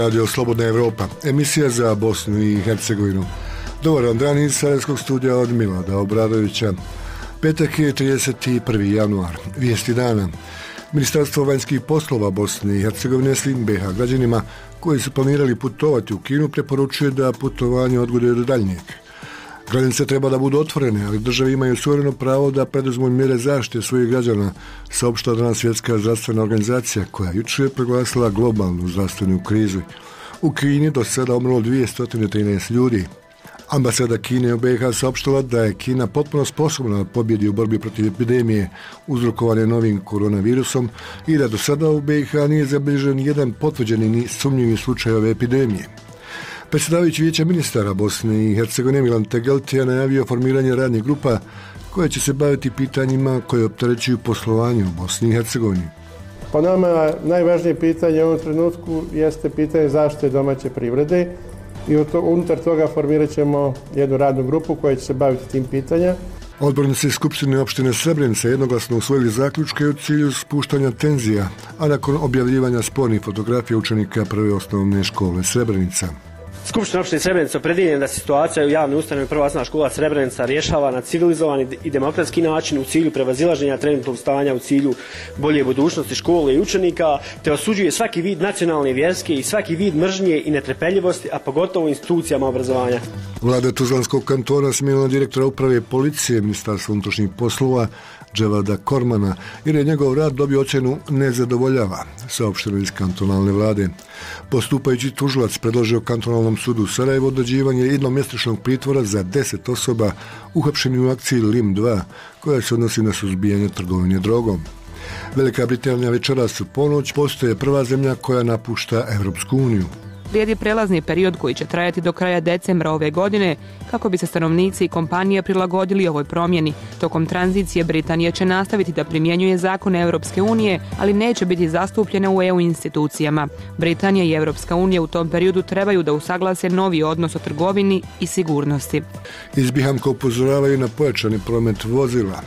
Radio Slobodna Evropa, emisija za Bosnu i Hercegovinu. Dobar vam dan iz Sarajevskog studija od Milada Obradovića. Petak je 31. januar. Vijesti dana. Ministarstvo vanjskih poslova Bosne i Hercegovine svim BiH građanima koji su planirali putovati u Kinu preporučuje da putovanje odgode do daljnjeg. Granice treba da budu otvorene, ali države imaju suvereno pravo da preduzmu mjere zaštite svojih građana, saopštila danas Svjetska zdravstvena organizacija koja jučer proglasila globalnu zdravstvenu krizu. U Kini do sada umrlo 213 ljudi. Ambasada Kine u BiH saopštila da je Kina potpuno sposobna da pobjedi u borbi protiv epidemije uzrokovane novim koronavirusom i da do sada u BiH nije zabilježen jedan potvrđeni ni sumnjivi slučaj ove epidemije. Predsjedavajući Vijeća ministara Bosne i Hercegovine Milan Tegelti je najavio formiranje radnih grupa koje će se baviti pitanjima koje opterećuju poslovanje u Bosni i Hercegovini. Po nama najvažnije pitanje u ovom trenutku jeste pitanje zaštite domaće privrede i unutar toga formirat ćemo jednu radnu grupu koja će se baviti tim pitanjem. Odbornici Skupštine opštine Srebrenica jednoglasno usvojili zaključke u cilju spuštanja tenzija, a nakon objavljivanja spornih fotografija učenika prve osnovne škole Srebrenica. Skupština opštine Srebrenica opredjeljena da se situacija u javnoj ustanovi Prva osnovna škola Srebrenica rješava na civilizovan i demokratski način u cilju prevazilaženja trenutnog stanja u cilju bolje budućnosti škole i učenika, te osuđuje svaki vid nacionalne, vjerske i svaki vid mržnje i netrpeljivosti, a pogotovo u institucijama obrazovanja. Vlada Tuzlanskog kantona smijenila direktora uprave policije Ministarstva unutrašnjih poslova Dževada Kormana jer je njegov rad dobio ocjenu nezadovoljava, saopšteno iz kantonalne vlade. Postupajući tužilac predložio kantonalnom sudu u Sarajevu određivanje jednomjesečnog pritvora za 10 osoba uhapšenih u akciji Lim 2, koja se odnosi na suzbijanje trgovine drogom. Velika Britanija večeras u ponoć postaje prva zemlja koja napušta Europsku uniju. Slijedi prelazni period koji će trajati do kraja decembra ove godine kako bi se stanovnici i kompanije prilagodili ovoj promjeni. Tokom tranzicije Britanija će nastaviti da primjenjuje zakone Europske unije, ali neće biti zastupljena u EU institucijama. Britanija i Europska unija u tom periodu trebaju da usaglase novi odnos o trgovini i sigurnosti. Iz Bihamka upozoravaju na pojačani promet vozila.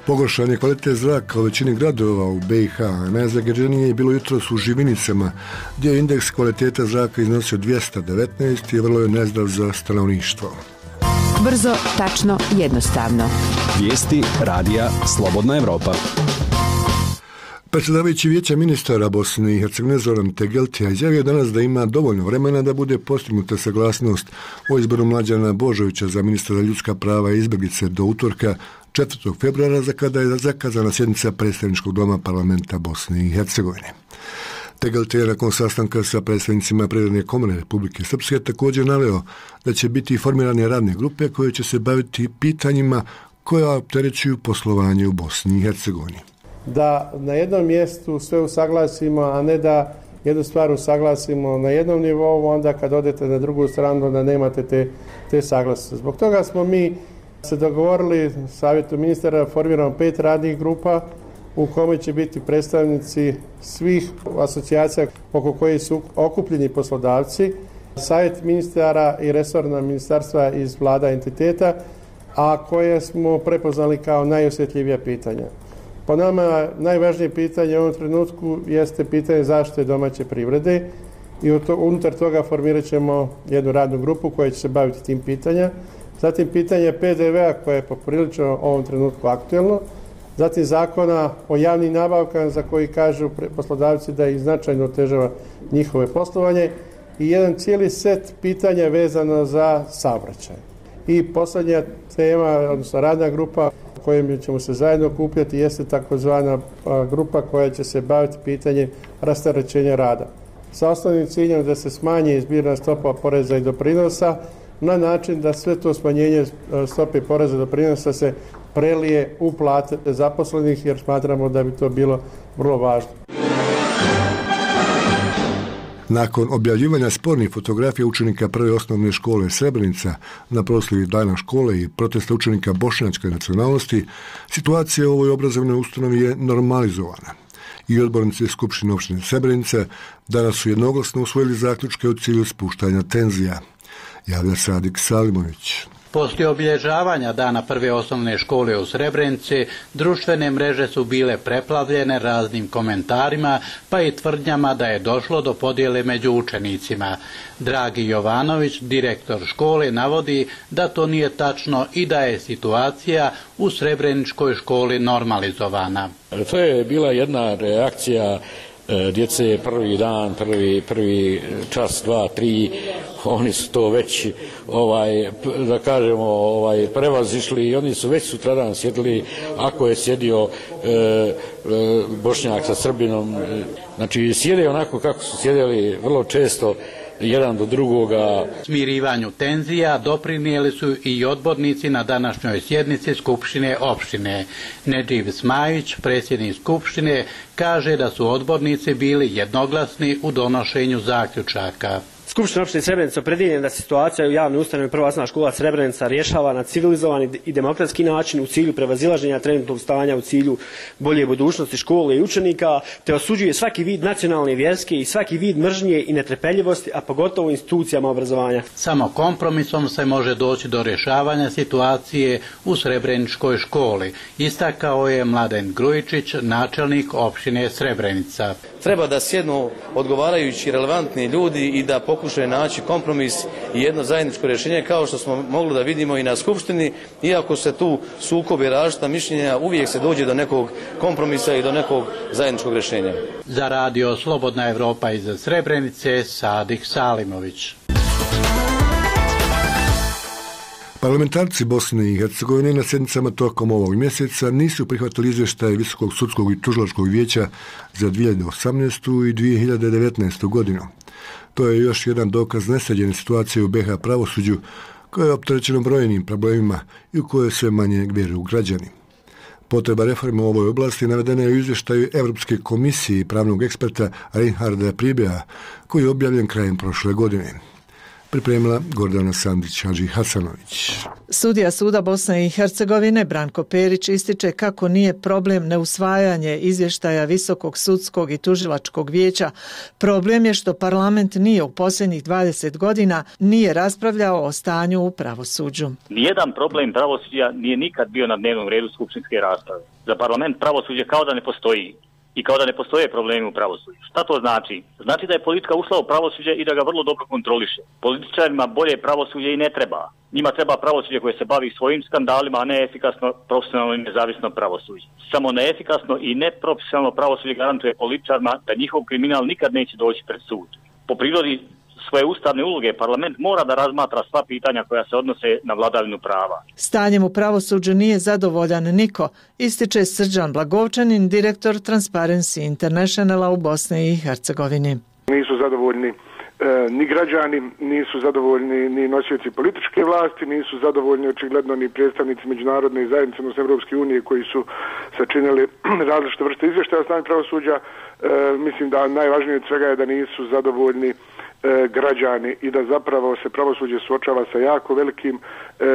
Pogoršan je kvalitet zraka u većini gradova u BiH, a najzagađenije je bilo jutros u Živinicama, gdje je indeks kvaliteta zraka iznosio 219 i vrlo je nezdrav za stanovništvo. Brzo, tačno, jednostavno. Vijesti radija Slobodna Evropa. Predsjedavajući Vijeća ministara Bosne i Hercegovine Zoran Tegelti izjavio danas da ima dovoljno vremena da bude postignuta saglasnost o izboru Mlađana Božovića za ministra za ljudska prava i izbjeglice do utorka 4. februara za kada je zakazana sjednica predstavničkog doma parlamenta Bosne i Hercegovine. Tegelti je nakon sastanka sa predstavnicima Privredne komore Republike Srpske također naveo da će biti formirane radne grupe koje će se baviti pitanjima koja opterećuju poslovanje u Bosni i Hercegovini. Da na jednom mjestu sve usaglasimo, a ne da jednu stvar usaglasimo na jednom nivou, onda kad odete na drugu stranu da nemate te saglasnosti. Zbog toga smo mi se dogovorili savjetu ministara, formiramo 5 radnih grupa u kome će biti predstavnici svih asocijacija oko kojih su okupljeni poslodavci, savjet ministara i resorna ministarstva iz vlada entiteta, a koje smo prepoznali kao najosjetljivija pitanja. Po nama najvažnije pitanje u ovom trenutku jeste pitanje zaštite domaće privrede i unutar toga formirat ćemo jednu radnu grupu koja će se baviti tim pitanjem. Zatim pitanje PDV-a koje je poprilično u ovom trenutku aktuelno. Zatim zakona o javnim nabavkama za koji kažu poslodavci da ih značajno otežava njihove poslovanje i jedan cijeli set pitanja vezano za saobraćaj. I posljednja tema, odnosno radna grupa kojim ćemo se zajedno okupljati jeste takozvana grupa koja će se baviti pitanjem rasterećenja rada. Sa osnovnim ciljem da se smanji zbirna stopa poreza i doprinosa na način da sve to smanjenje stope poreza i doprinosa se prelije u plate zaposlenih jer smatramo da bi to bilo vrlo važno. Nakon objavljivanja spornih fotografija učenika prve osnovne škole Srebrenica na proslavi dana škole i protesta učenika bošnjačke nacionalnosti, situacija u ovoj obrazovnoj ustanovi je normalizovana. I odbornici Skupštine opštine Srebrenica danas su jednoglasno usvojili zaključke u cilju spuštanja tenzija. Javlja Sadik Salimović. Poslije obilježavanja dana prve osnovne škole u Srebrenici, društvene mreže su bile preplavljene raznim komentarima, pa i tvrdnjama da je došlo do podjele među učenicima. Dragi Jovanović, direktor škole, navodi da to nije tačno i da je situacija u Srebreničkoj školi normalizovana. To je bila jedna reakcija djece prvi dan, prvi čas, 2, 3, oni su to već da kažemo prevazišli i oni su već sutradan sjedili, ako je sjedio Bošnjak sa Srbinom, znači sjede onako kako su sjedili vrlo često jedan do drugoga. Smirivanju tenzija doprinijeli su i odbornici na današnjoj sjednici Skupštine opštine. Nedživ Smajić, predsjednik Skupštine, kaže da su odbornici bili jednoglasni u donošenju zaključaka. Skupština opštine Srebrenica opredjeljena da se situacija u javnoj ustanovi Prva osnovna škola Srebrenica rješava na civilizovan i demokratski način u cilju prevazilaženja trenutnog stanja, u cilju bolje budućnosti škole i učenika, te osuđuje svaki vid nacionalne, vjerske i svaki vid mržnje i netrpeljivosti, a pogotovo u institucijama obrazovanja. Samo kompromisom se može doći do rješavanja situacije u Srebreničkoj školi, istakao je Mladen Grujičić, načelnik opštine Srebrenica. Treba da sjednu odgovarajući relevantni ljudi i da pokušaju naći kompromis i jedno zajedničko rješenje, kao što smo mogli da vidimo i na Skupštini. Iako se tu sukobe različita mišljenja, uvijek se dođe do nekog kompromisa i do nekog zajedničkog rješenja. Za radio Slobodna Evropa iz Srebrenice, Sadik Salimović. Parlamentarci Bosne i Hercegovine na sjednicama tokom ovog mjeseca nisu prihvatili izvještaj Visokog sudskog i tužilačkog vijeća za 2018. i 2019. godinu. To je još jedan dokaz nesređene situacije u BiH pravosuđu, koje je opterećeno brojnim problemima i u koje sve manje vjeruju građani. Potreba reforme u ovoj oblasti navedena je u izvještaju Europske komisije i pravnog eksperta Reinharda Pribea, koji je objavljen krajem prošle godine. Pripremila Gordana Sandić-Hadži-Hasanović. Sudija Suda Bosne i Hercegovine Branko Perić ističe kako nije problem neusvajanje izvještaja Visokog sudskog i tužilačkog vijeća. Problem je što parlament nije u posljednjih 20 godina nije raspravljao o stanju u pravosuđu. Nijedan problem pravosuđa nije nikad bio na dnevnom redu skupštinske rasprave. Za parlament pravosuđe kao da ne postoji. I kao da ne postoje problemi u pravosuđu. Šta to znači? Znači da je politika ušla u pravosuđe i da ga vrlo dobro kontroliše. Političarima bolje pravosuđe i ne treba. Njima treba pravosuđe koje se bavi svojim skandalima, a ne efikasno, profesionalno i nezavisno pravosuđe. Samo neefikasno i neprofesionalno pravosuđe garantuje političarima da njihov kriminal nikad neće doći pred sud. Po prirodi svoje ustavne uloge parlament mora da razmatra sva pitanja koja se odnose na vladavinu prava. Stanjem u pravosuđu nije zadovoljan niko, ističe Srđan Blagovčanin, direktor Transparency Internationala u Bosni i Hercegovini. Nisu zadovoljni ni građani, nisu zadovoljni ni nosioci političke vlasti, nisu zadovoljni očigledno ni predstavnici međunarodne zajednice, odnosno Evropske unije, koji su sačinili različite vrste izvještaja o stanju pravosuđa. Mislim da najvažnije od svega je da nisu zadovoljni građani i da zapravo se pravosuđe suočava sa jako velikim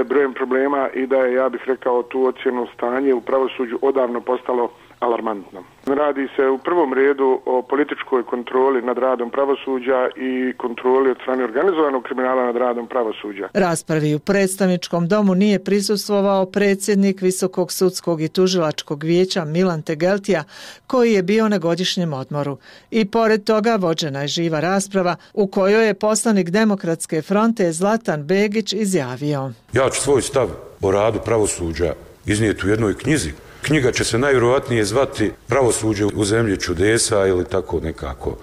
brojem problema i da je, ja bih rekao, tu ocjenu stanje u pravosuđu odavno postalo alarmantno. Radi se u prvom redu o političkoj kontroli nad radom pravosuđa i kontroli od strane organizovanog kriminala nad radom pravosuđa. Raspravi u predstavničkom domu nije prisustvovao predsjednik Visokog sudskog i tužilačkog vijeća Milan Tegeltija, koji je bio na godišnjem odmoru. I pored toga vođena je živa rasprava u kojoj je poslanik Demokratske fronte Zlatan Begić izjavio: Ja ću svoj stav o radu pravosuđa iznijeti u jednoj knjizi. Knjiga će se najvjerojatnije zvati Pravosuđe u zemlji čudesa ili tako nekako.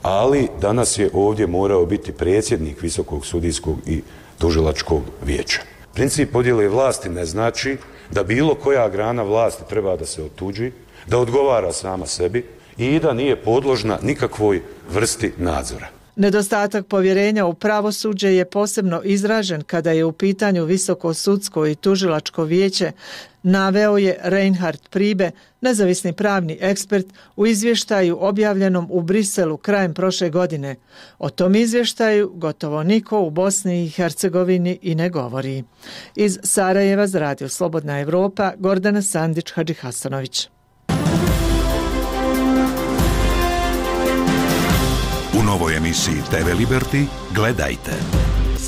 Ali danas je ovdje morao biti predsjednik Visokog sudijskog i tužilačkog vijeća. Princip podjele vlasti ne znači da bilo koja grana vlasti treba da se otuđi, da odgovara sama sebi i da nije podložna nikakvoj vrsti nadzora. Nedostatak povjerenja u pravosuđe je posebno izražen kada je u pitanju Visoko sudsko i tužilačko vijeće, naveo je Reinhard Pribe, nezavisni pravni ekspert, u izvještaju objavljenom u Briselu krajem prošle godine. O tom izvještaju gotovo niko u Bosni i Hercegovini i ne govori. Iz Sarajeva za radio Slobodna Evropa, Gordana Sandić-Hadži-Hasanović. U novoj emisiji TV Liberty gledajte.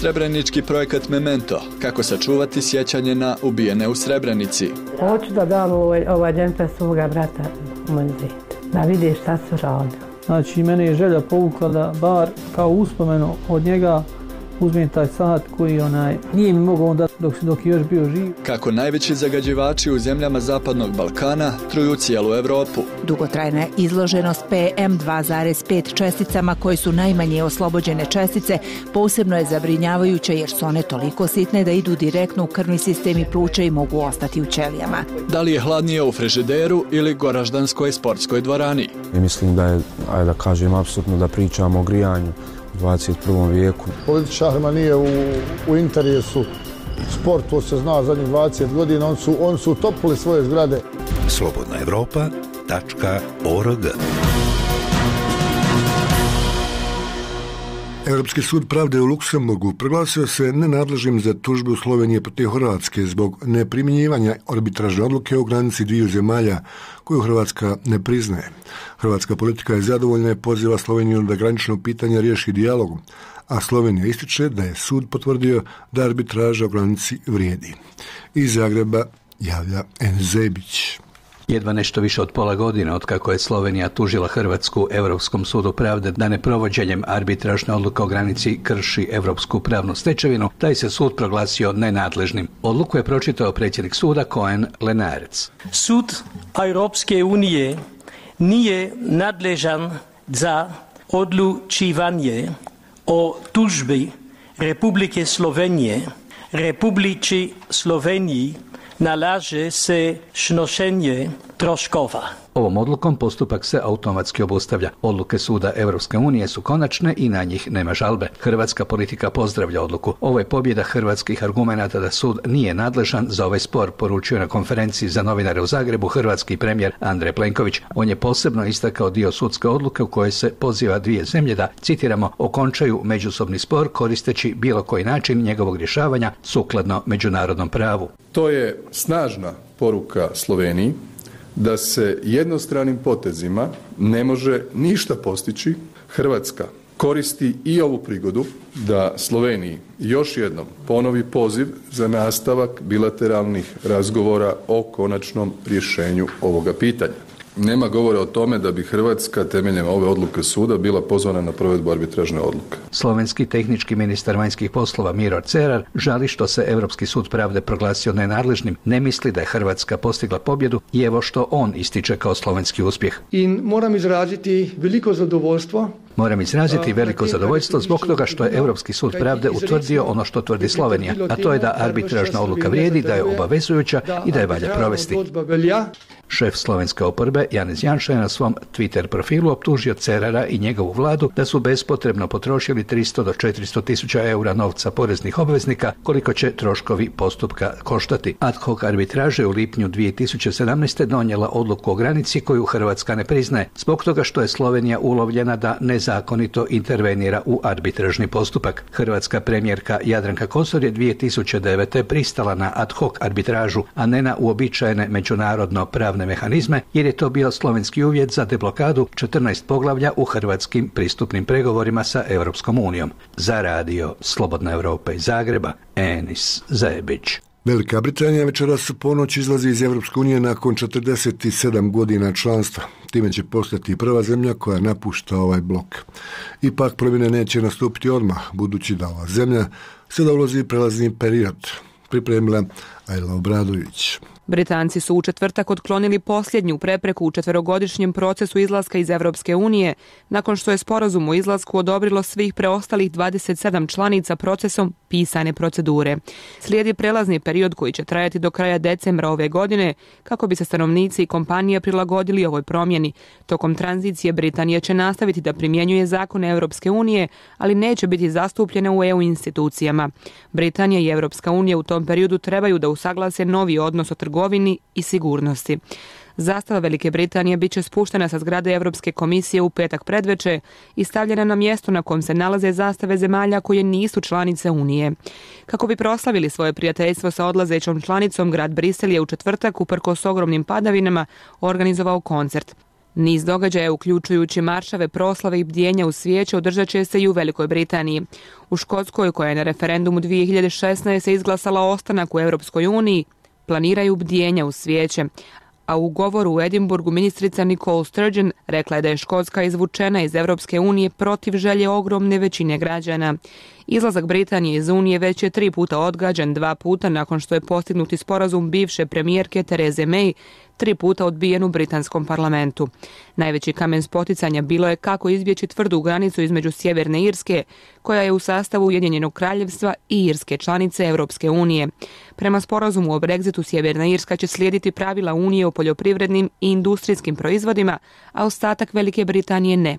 Srebrenički projekat Memento, kako sačuvati sjećanje na ubijene u Srebrenici. Hoću da dam ovaj džemper svoga brata u muzej, da vidi šta su radili. Znači, mene je želja povukla da bar kao uspomenu od njega uzmem taj sat koji nije mi mogao onda dok je još bio živ. Kako najveći zagađivači u zemljama Zapadnog Balkana truju cijelu Evropu. Dugotrajna izloženost PM2,5 česticama koje su najmanje oslobođene čestice posebno je zabrinjavajuća jer su one toliko sitne da idu direktno u krvni sistem i pluća i mogu ostati u ćelijama. Da li je hladnije u frižideru ili Goraždanskoj sportskoj dvorani? Mislim da je, da kažem, apsolutno da pričamo o grijanju u 21. vijeku. Političarima nije u interesu sport, to se zna zadnjih 20 godina, oni su utopili svoje zgrade. slobodnaevropa.org. Europski sud pravde u Luksemburgu proglasio se nenadležnim za tužbu Slovenije protiv Hrvatske zbog neprimjenjivanja arbitražne odluke o granici dviju zemalja koju Hrvatska ne priznaje. Hrvatska politika je zadovoljna i poziva Sloveniju da granično pitanje riješi dijalogom, a Slovenija ističe da je sud potvrdio da arbitraža o granici vrijedi. Iz Zagreba javlja N. Zebić. Jedva nešto više od pola godine otkako je Slovenija tužila Hrvatsku Europskom sudu pravde da neprovođenjem arbitražne odluke o granici krši europsku pravnu stečevinu, taj se sud proglasio nenadležnim. Odluku je pročitao predsjednik suda Cohen Lenarec. Sud Europske unije nije nadležan za odlučivanje o tužbi Republike Slovenije. Republici Sloveniji nalaže se snošenje troškova. Ovom odlukom postupak se automatski obustavlja. Odluke suda Europske unije su konačne i na njih nema žalbe. Hrvatska politika pozdravlja odluku. Ovo je pobjeda hrvatskih argumenata da sud nije nadležan za ovaj spor, poručio na konferenciji za novinare u Zagrebu hrvatski premijer Andrej Plenković. On je posebno istakao dio sudske odluke u kojoj se poziva dvije zemlje da, citiramo, okončaju međusobni spor koristeći bilo koji način njegovog rješavanja sukladno međunarodnom pravu. To je snažna poruka Sloveniji da se jednostranim potezima ne može ništa postići. Hrvatska koristi i ovu prigodu da Sloveniji još jednom ponovi poziv za nastavak bilateralnih razgovora o konačnom rješenju ovoga pitanja. Nema govora o tome da bi Hrvatska temeljem ove odluke suda bila pozvana na provedbu arbitražne odluke. Slovenski tehnički ministar vanjskih poslova Miro Cerar žali što se Europski sud pravde proglasio nenadležnim, ne misli da je Hrvatska postigla pobjedu i evo što on ističe kao slovenski uspjeh. Moram izraziti veliko zadovoljstvo veliko zadovoljstvo zbog toga što je Europski sud pravde utvrdio ono što tvrdi Slovenija, a to je da arbitražna odluka vrijedi, da je obavezujuća i da je valja provesti. Šef slovenske oporbe Janez Janša je na svom Twitter profilu optužio Cerara i njegovu vladu da su bespotrebno potrošili 300 do 400 tisuća eura novca poreznih obveznika, koliko će troškovi postupka koštati. Ad hoc arbitraža u lipnju 2017. donijela odluku o granici koju Hrvatska ne priznaje, zbog toga što je Slovenija ulovljena da nezakonito intervenira u arbitražni postupak. Hrvatska premijerka Jadranka Kosor je 2009. pristala na ad hoc arbitražu, a ne na uobičajene međunarodno pravne mehanizme, jer je to bio slovenski uvjet za deblokadu 14 poglavlja u hrvatskim pristupnim pregovorima sa Europskom unijom. Za radio Slobodna Evropa iz Zagreba, Enis Zebić. Velika Britanija večeras u ponoć izlazi iz Europske unije nakon 47 godina članstva. Time će postati prva zemlja koja napušta ovaj blok. Ipak promjene neće nastupiti odmah, budući da ova zemlja sada ulazi prelazni period. Pripremila Ajla Obradović. Britanci su u četvrtak otklonili posljednju prepreku u četverogodišnjem procesu izlaska iz Europske unije, nakon što je sporazum o izlasku odobrilo svih preostalih 27 članica procesom pisane procedure. Slijedi prelazni period koji će trajati do kraja decembra ove godine, kako bi se stanovnici i kompanije prilagodili ovoj promjeni. Tokom tranzicije Britanija će nastaviti da primjenjuje zakone Europske unije, ali neće biti zastupljena u EU institucijama. Britanija i Europska unija u tom periodu trebaju da usaglase novi odnos o trgovini i sigurnosti. Zastava Velike Britanije bit će spuštena sa zgrade Europske komisije u petak predveče i stavljena na mjesto na kojem se nalaze zastave zemalja koje nisu članice Unije. Kako bi proslavili svoje prijateljstvo sa odlazećom članicom, grad Brisel je u četvrtak, uprkos ogromnim padavinama, organizovao koncert. Niz događaja, uključujući maršave, proslave i bdjenja u svijeće, održat će se i u Velikoj Britaniji. U Škotskoj, koja je na referendumu 2016. izglasala ostanak u Europskoj uniji, planiraju bdjenja u svijeće. A u govoru u Edinburgu ministrica Nicole Sturgeon rekla je da je Škotska izvučena iz Europske unije protiv želje ogromne većine građana. Izlazak Britanije iz Unije već je 3 puta odgađan, 2 puta nakon što je postignuti sporazum bivše premijerke Therese May, 3 puta odbijen u britanskom parlamentu. Najveći kamen spoticanja bilo je kako izbjeći tvrdu granicu između Sjeverne Irske, koja je u sastavu Ujedinjenog kraljevstva, i Irske, članice Europske unije. Prema sporazumu o Brexitu, Sjeverna Irska će slijediti pravila Unije o poljoprivrednim i industrijskim proizvodima, a ostatak Velike Britanije ne.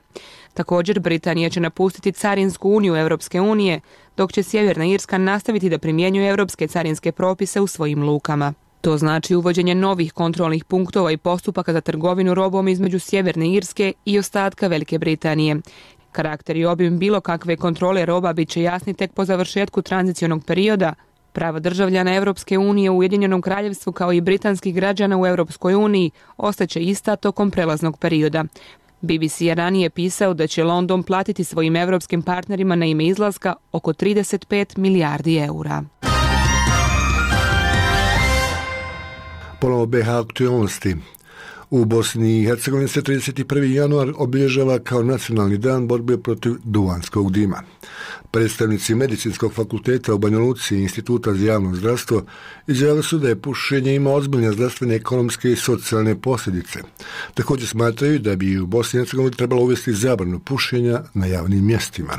Također, Britanija će napustiti Carinsku uniju Europske unije, dok će Sjeverna Irska nastaviti da primjenjuje europske carinske propise u svojim lukama. To znači uvođenje novih kontrolnih punktova i postupaka za trgovinu robom između Sjeverne Irske i ostatka Velike Britanije. Karakter i obim bilo kakve kontrole roba bit će jasni tek po završetku tranzicionog perioda. Prava državljana Europske unije u Ujedinjenom kraljevstvu kao i britanskih građana u Europskoj uniji ostaće ista tokom prelaznog perioda. BBC je ranije pisao da će London platiti svojim europskim partnerima na ime izlaska oko 35 milijardi eura. Ponovo BiH aktualnosti. U Bosni i Hercegovini se 31. januar obilježava kao nacionalni dan borbe protiv duvanskog dima. Predstavnici Medicinskog fakulteta u Banja Luci i Instituta za javno zdravstvo izjavili su da je pušenje ima ozbiljne zdravstvene, ekonomske i socijalne posljedice. Također smatraju da bi u Bosni i Hercegovini trebalo uvesti zabranu pušenja na javnim mjestima.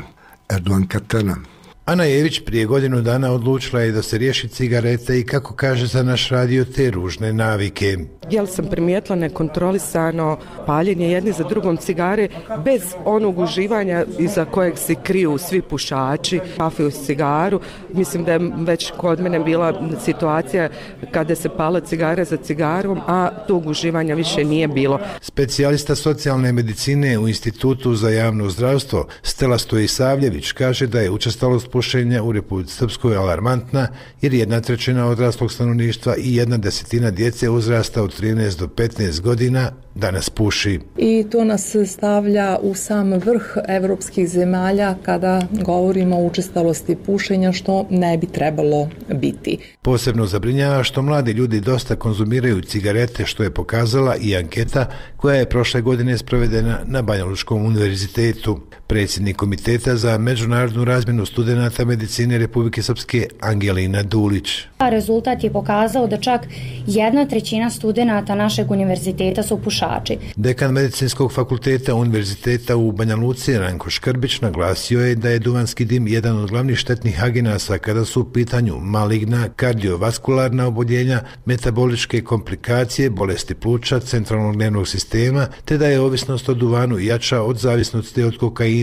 Erdogan Katana. Ana Jević prije godinu dana odlučila je da se riješi cigarete i, kako kaže za naš radio, te ružne navike. Jel sam primijetila nekontrolisano paljenje jedni za drugom cigare bez onog uživanja iza kojeg se kriju svi pušači, kafe uz cigaru. Mislim da je već kod mene bila situacija kada se pala cigare za cigarom, a tog uživanja više nije bilo. Specijalista socijalne medicine u Institutu za javno zdravstvo Stela Stojisavljević kaže da je učestalost pušenja u Republici Srpskoj alarmantna, jer 1/3 odraslog stanovništva i 1/10 djece uzrasta od 13 do 15 godina danas puši. I to nas stavlja u sam vrh evropskih zemalja kada govorimo o učestalosti pušenja, što ne bi trebalo biti. Posebno zabrinjava što mladi ljudi dosta konzumiraju cigarete, što je pokazala i anketa koja je prošle godine sprovedena na Banja Lučkom univerzitetu. Predsjednik Komiteta za međunarodnu razmjenu studenata medicine Republike Srpske Angelina Dulić. Rezultat je pokazao da čak 1/3 studenata našeg univerziteta su pušači. Dekan Medicinskog fakulteta Univerziteta u Banja Luci Ranko Škrbić naglasio je da je duvanski dim jedan od glavnih štetnih agenasa kada su u pitanju maligna, kardiovaskularna oboljenja, metaboličke komplikacije, bolesti pluća, centralnog nervnog sistema, te da je ovisnost o duvanu jača od zavisnosti od kokaina,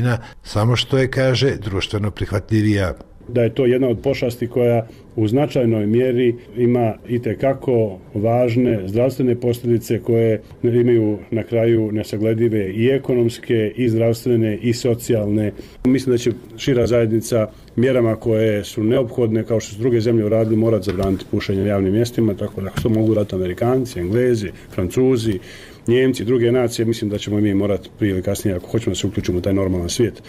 samo što je, kaže, društveno prihvatljivija. Da je to jedna od pošasti koja u značajnoj mjeri ima itekako važne zdravstvene posljedice koje imaju na kraju nesagledive i ekonomske, i zdravstvene, i socijalne. Mislim da će šira zajednica mjerama koje su neophodne, kao što su druge zemlje uradili, morati zabraniti pušenje na javnim mjestima, tako da što mogu raditi Amerikanci, Englezi, Francuzi, Njemci, druge nacije. Mislim da ćemo mi morati prije ili kasnije, ako hoćemo da se uključimo u taj normalan svijet,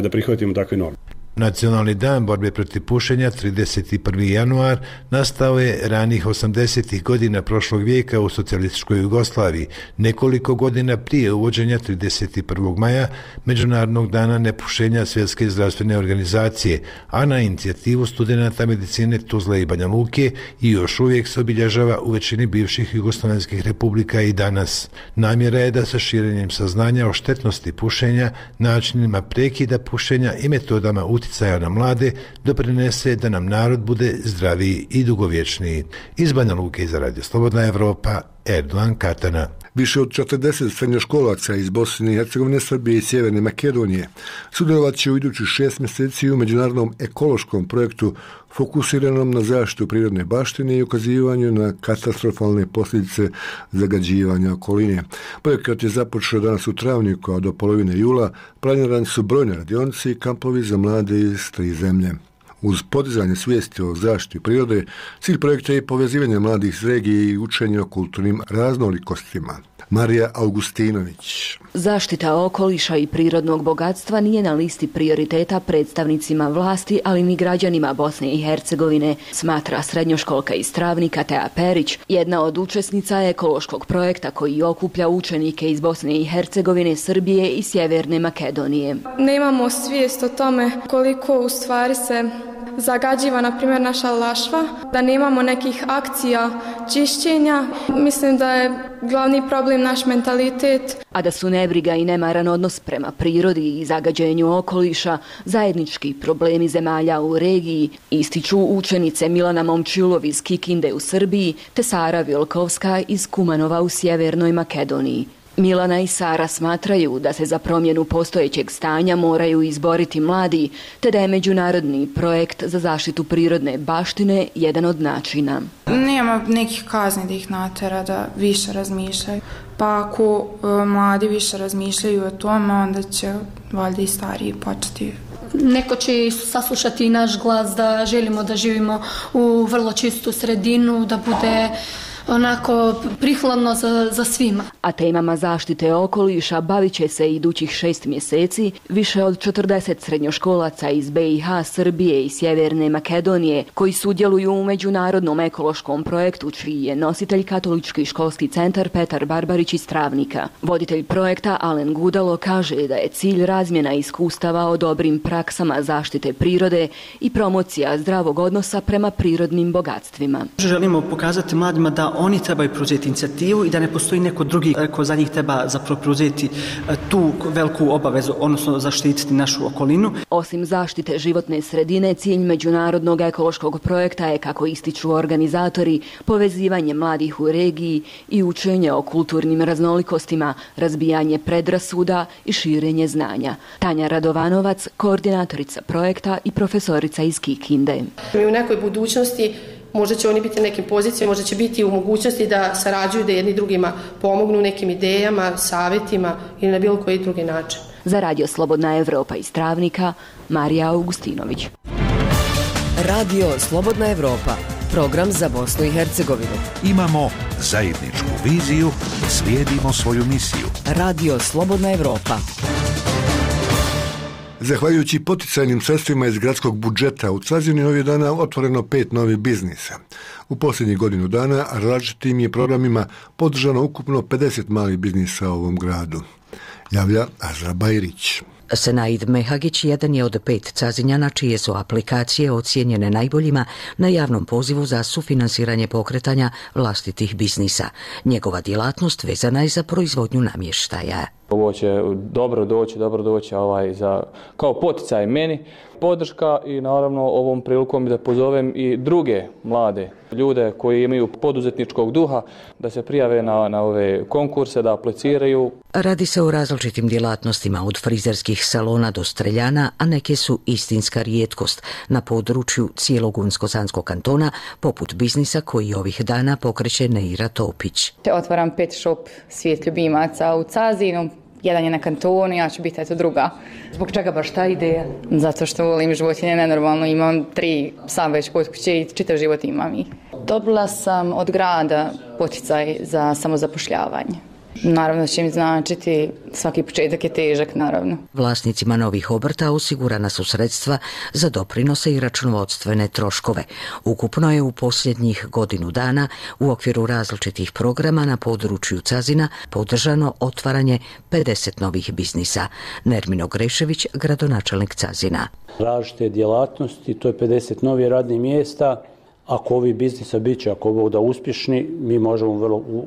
da prihvatimo takve norme. Nacionalni dan borbe protiv pušenja 31. januar nastao je ranih 80. godina prošlog vijeka u socijalističkoj Jugoslaviji, nekoliko godina prije uvođenja 31. maja Međunarodnog dana nepušenja Svjetske zdravstvene organizacije, a na inicijativu studenata medicine Tuzle i Banja Luke i još uvijek se obilježava u većini bivših jugoslavenskih republika i danas. Namjera je da sa širenjem saznanja o štetnosti pušenja, načinima prekida pušenja i metodama utjecaja na mlade doprinese da nam narod bude zdraviji i dugovječniji. Iz Banja Luke za Radio Slobodna Evropa, Erdogan Katana. Više od 40 srednjoškolaca iz Bosne i Hercegovine, Srbije i Sjeverne Makedonije sudjelovat će u idućih 6 mjeseci u međunarodnom ekološkom projektu fokusiranom na zaštitu prirodne baštine i ukazivanju na katastrofalne posljedice zagađivanja okoline. Projekat je započeo danas u travnju, a do polovine jula planirani su brojne radionice i kampovi za mlade iz 3 zemlje. Uz podizanje svijesti o zaštiti prirode, cilj projekta je povezivanje mladih iz regije i učenje o kulturnim raznolikostima. Marija Augustinović. Zaštita okoliša i prirodnog bogatstva nije na listi prioriteta predstavnicima vlasti, ali ni građanima Bosne i Hercegovine, smatra srednjoškolka iz Travnika Tea Perić, jedna od učesnica ekološkog projekta koji okuplja učenike iz Bosne i Hercegovine, Srbije i Sjeverne Makedonije. Nemamo svijest o tome koliko u stvari se zagađiva, na primjer, naša Lašva, da nemamo nekih akcija čišćenja. Mislim da je glavni problem naš mentalitet. A da su nebriga i nemaran odnos prema prirodi i zagađenju okoliša zajednički problemi zemalja u regiji, ističu učenice Milana Momčilov iz Kikinde u Srbiji te Sara Vilkovska iz Kumanova u Sjevernoj Makedoniji. Milana i Sara smatraju da se za promjenu postojećeg stanja moraju izboriti mladi, te da je međunarodni projekt za zaštitu prirodne baštine jedan od načina. Nema nekih kazni da ih natera da više razmišljaju. Pa ako mladi više razmišljaju o tome, onda će valjda i stariji početi. Neko će saslušati i naš glas da želimo da živimo u vrlo čistu sredinu, da bude onako prihladno za svima. A temama zaštite okoliša bavit će se idućih 6 mjeseci više od 40 srednjoškolaca iz BiH, Srbije i Sjeverne Makedonije koji sudjeluju u međunarodnom ekološkom projektu čiji je nositelj Katolički školski centar Petar Barbarić iz Travnika. Voditelj projekta Alen Gudalo kaže da je cilj razmjena iskustava o dobrim praksama zaštite prirode i promocija zdravog odnosa prema prirodnim bogatstvima. Želimo pokazati mladima da oni trebaju preuzeti inicijativu i da ne postoji neko drugi ko za njih treba zapravo preuzeti tu veliku obavezu, odnosno zaštititi našu okolinu. Osim zaštite životne sredine, cilj međunarodnog ekološkog projekta je, kako ističu organizatori, povezivanje mladih u regiji i učenje o kulturnim raznolikostima, razbijanje predrasuda i širenje znanja. Tanja Radovanovac, koordinatorica projekta i profesorica iz Kikinde. Mi u nekoj budućnosti možda će oni biti na nekim pozicijama, možda će biti u mogućnosti da sarađuju, da jedni drugima pomognu nekim idejama, savjetima ili na bilo koji drugi način. Za Radio Slobodna Evropa iz Travnika, Marija Augustinović. Radio Slobodna Evropa, program za Bosnu i Hercegovinu. Imamo zajedničku viziju, slijedimo svoju misiju. Radio Slobodna Evropa. Zahvaljujući poticajnim sredstvima iz gradskog budžeta, u Cazini ovih dana otvoreno 5 novih biznisa. U posljednjih godinu dana različitim je programima podržano ukupno 50 malih biznisa u ovom gradu. Javlja Azra Bajrić. Senaid Mehagić jedan je od 5 Cazinjana čije su aplikacije ocijenjene najboljima na javnom pozivu za sufinansiranje pokretanja vlastitih biznisa. Njegova djelatnost vezana je za proizvodnju namještaja. Ovo će dobro doći kao poticaj meni, podrška i naravno ovom prilikom da pozovem i druge mlade ljude koji imaju poduzetničkog duha da se prijave na ove konkurse, da apliciraju. Radi se o različitim djelatnostima od frizerskih salona do streljana, a neke su istinska rijetkost na području cijelog Unsko-Sanskog kantona, poput biznisa koji ovih dana pokreće Neira Topić. Otvaram pet shop Svijet ljubimaca u Cazinu. Jedan je na kantonu, ja ću biti druga. Zbog čega baš ta ideja? Zato što volim životinje nenormalno, imam 3 psa već kod kuće i čitav život imam ih. Dobila sam od grada poticaj za samozapošljavanje. Naravno da će mi značiti, svaki početak je težak, naravno. Vlasnicima novih obrta osigurana su sredstva za doprinose i računovodstvene troškove. Ukupno je u posljednjih godinu dana u okviru različitih programa na području Cazina podržano otvaranje 50 novih biznisa. Nermino Grešević, gradonačelnik Cazina. Različite djelatnosti, to je 50 novih radnih mjesta. Ako ovi biznisa bit će, ako budu uspješni, mi možemo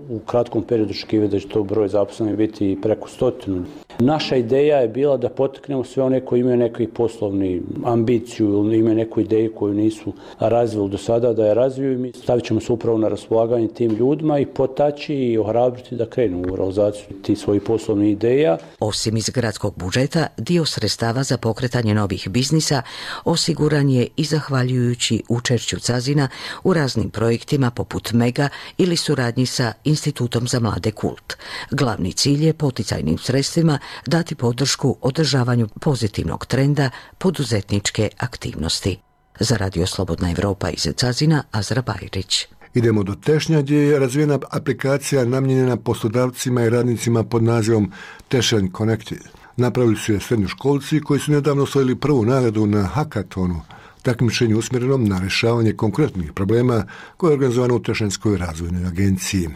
u kratkom periodu očekivati da će to broj zaposlenih biti preko 100. Naša ideja je bila da potaknemo sve one koji imaju neku poslovni ambiciju ili imaju neku ideju koju nisu razvili do sada, da je razviju i mi stavit ćemo se upravo na raspolaganje tim ljudima i potaći i ohrabriti da krenu u realizaciju tih svojih poslovnih ideja. Osim iz gradskog budžeta, dio sredstava za pokretanje novih biznisa osiguran je i zahvaljujući učešću Cazina u raznim projektima poput Mega ili suradnji sa Institutom za mlade Kult. Glavni cilj je poticajnim sredstvima dati podršku održavanju pozitivnog trenda poduzetničke aktivnosti. Za Radio Slobodna Evropa iz Cazina, Azra Bajrić. Idemo do Tešnja gdje je razvijena aplikacija namijenjena poslodavcima i radnicima pod nazivom Tešanj Connected. Napravili su je srednjoškolci koji su nedavno osvojili prvu nagradu na hakatonu, takmičenju usmjerenom na rješavanje konkretnih problema koje je organizovano u Tešanjskoj razvojnoj agenciji.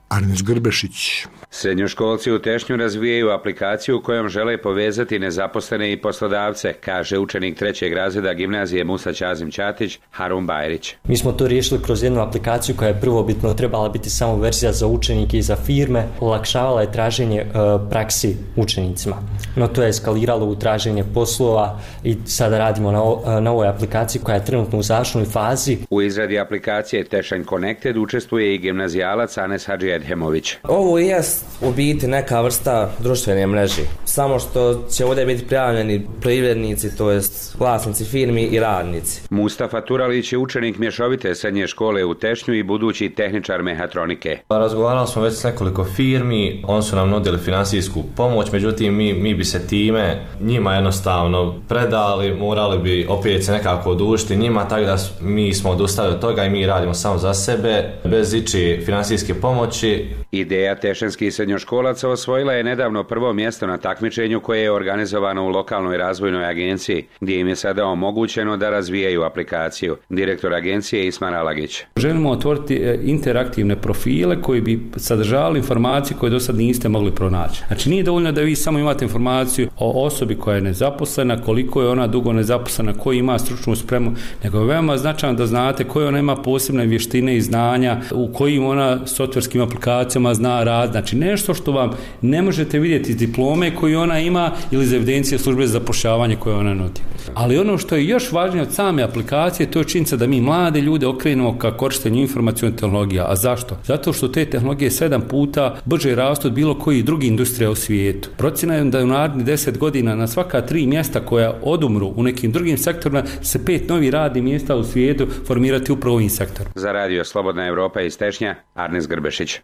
Arnes Grbešić. Srednjoškolci u Tešnju razvijaju aplikaciju kojom žele povezati nezaposlene i poslodavce, kaže učenik 3. razreda gimnazije Musa Ćazim Ćatić, Harun Bajrić. Mi smo to riješili kroz jednu aplikaciju koja je prvobitno trebala biti samo verzija za učenike i za firme, olakšavala je traženje praksi učenicima. No to je eskaliralo u traženje poslova i sada radimo na ovoj aplikaciji koja je trenutno u završnoj fazi. U izradi aplikacije Tešanj Connected učestvuje i gimnazijalac Anes Hadži Edhemović. Ovo je u biti neka vrsta društvene mreže, samo što će ovdje biti prijavljeni privrednici, to jest vlasnici firmi i radnici. Mustafa Turalić je učenik mješovite srednje škole u Tešnju i budući tehničar mehatronike. Razgovarali smo već s nekoliko firmi, oni su nam nudili finansijsku pomoć, međutim mi bi se time njima jednostavno predali, morali bi opet se nekako odužiti njima, tako da mi smo odustali od toga i mi radimo samo za sebe, bez ići finansijske pomoći. Ideja tešanskih srednjoškolaca osvojila je nedavno prvo mjesto na takmičenju koje je organizovano u lokalnoj razvojnoj agenciji, gdje im je sada omogućeno da razvijaju aplikaciju. Direktor agencije Isman Alagić. Želimo otvoriti interaktivne profile koji bi sadržavali informacije koje do sad niste mogli pronaći. Znači nije dovoljno da vi samo imate informaciju o osobi koja je nezaposlena, koliko je ona dugo nezaposlena, koji ima stručnu spremu, nego je veoma značajno da znate koje ona ima posebne vještine i znanja, u kojim ona softverskim aplikacijama zna rad, znači nešto što vam ne možete vidjeti iz diplome koju ona ima ili iz evidencije službe za zapošljavanje koje ona nudi. Ali ono što je još važnije od same aplikacije, to je činjenica da mi mlade ljude okrenemo ka korištenju informacionih tehnologija. A zašto? Zato što te tehnologije 7 puta brže rastu od bilo koji drugi industrija u svijetu. Procjena je da u narednih 10 godina na svaka 3 mjesta koja odumru u nekim drugim sektorima se 5 novih radnih mjesta u svijetu formirati upravo ovim sektorom. Za Radio Slobodna Evropa iz Tešnja, Arnes Grbešić.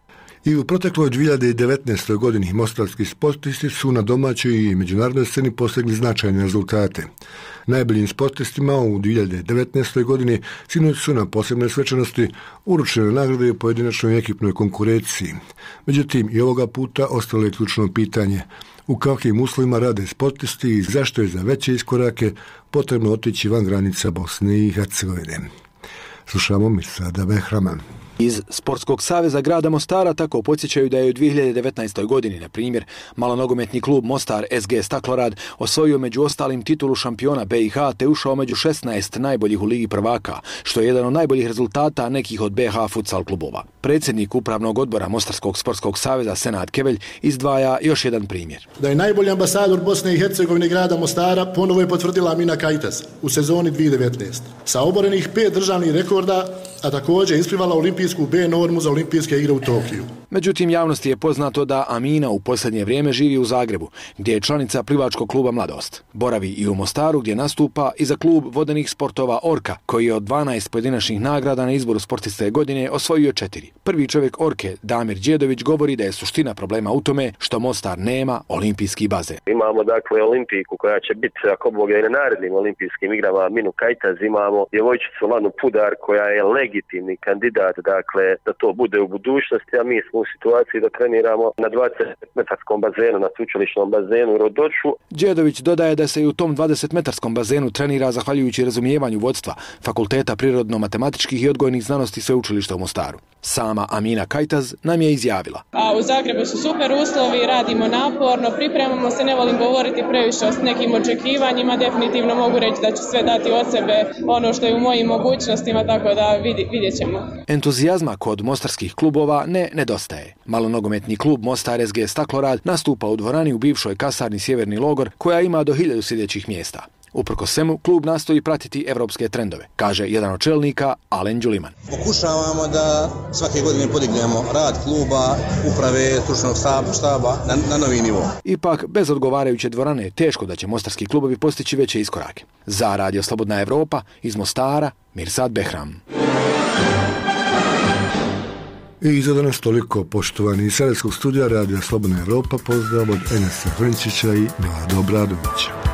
I u protekloj 2019. godini mostarski sportisti su na domaćoj i međunarodnoj sceni postigli značajne rezultate. Najboljim sportistima u 2019. godini sinoć su na posebnoj svečanosti uručene nagrade u pojedinačnoj ekipnoj konkurenciji. Međutim, i ovoga puta ostalo je ključno pitanje u kakvim uslovima rade sportisti i zašto je za veće iskorake potrebno otići van granica Bosne i Hercegovine. Slušamo Mirsada Behrama. Iz Sportskog saveza grada Mostara tako podsjećaju da je u 2019. godini, na primjer, malonogometni klub Mostar SG Staklorad osvojio među ostalim titulu šampiona BiH te ušao među 16 najboljih u Ligi prvaka, što je jedan od najboljih rezultata nekih od BiH futsal klubova. Predsjednik upravnog odbora Mostarskog sportskog saveza Senad Kevelj izdvaja još jedan primjer. Da je najbolji ambasador Bosne i Hercegovine grada Mostara ponovo je potvrdila Amina Kajtas u sezoni 2019. Sa oborenih 5 državnih rekorda, a također isplivala olimpijsku B normu za olimpijske igre u Tokiju. Međutim, javnosti je poznato da Amina u posljednje vrijeme živi u Zagrebu, gdje je članica plivačkog kluba Mladost. Boravi i u Mostaru, gdje nastupa i za klub vodenih sportova Orka, koji je od 12 pojedinačnih nagrada na izboru sportiste godine osvojio 4. Prvi čovjek Orke, Damir Đedović, govori da je suština problema u tome što Mostar nema olimpijski bazen. Imamo dakle olimpijku koja će biti, ako Bog je, na narednim olimpijskim igrama Aminu Kajtaz, imamo djevojčicu Lanu Pudar koja je legitimni kandidat, dakle, da to bude u budućnosti, a mi smo u situaciji da treniramo na 20-metarskom bazenu, na sveučilišnom bazenu u Rodoču. Đedović dodaje da se i u tom 20-metarskom bazenu trenira zahvaljujući razumijevanju vodstva Fakulteta prirodno-matematičkih i odgojnih znanosti sveučilišta u Mostaru. Sama Amina Kajtaz nam je izjavila. A u Zagrebu su super uslovi, radimo naporno, pripremamo se, ne volim govoriti previše o nekim očekivanjima, definitivno mogu reći da ću sve dati od sebe ono što je u mojim mogućnostima, tako da vidjet ćemo. Entuzijazma kod mostarskih klubova ne nedostaje. Malonogometni klub Mostar SG Staklorad nastupa u dvorani u bivšoj kasarni Sjeverni logor koja ima do 1000 sjedećih mjesta. Uprkos svemu, klub nastoji pratiti evropske trendove, kaže jedan od čelnika, Alen Đuliman. Pokušavamo da svake godine podignemo rad kluba, uprave, stručnog štaba na novi nivo. Ipak, bez odgovarajuće dvorane je teško da će mostarski klubovi postići veće iskorake. Za Radio Slobodna Evropa, iz Mostara, Mirsad Behram. I za danas toliko, poštovani iz Sarajevskog studija Radio Slobodna Evropa, pozdrav od Enesa Hrničića i Milada Obradovića.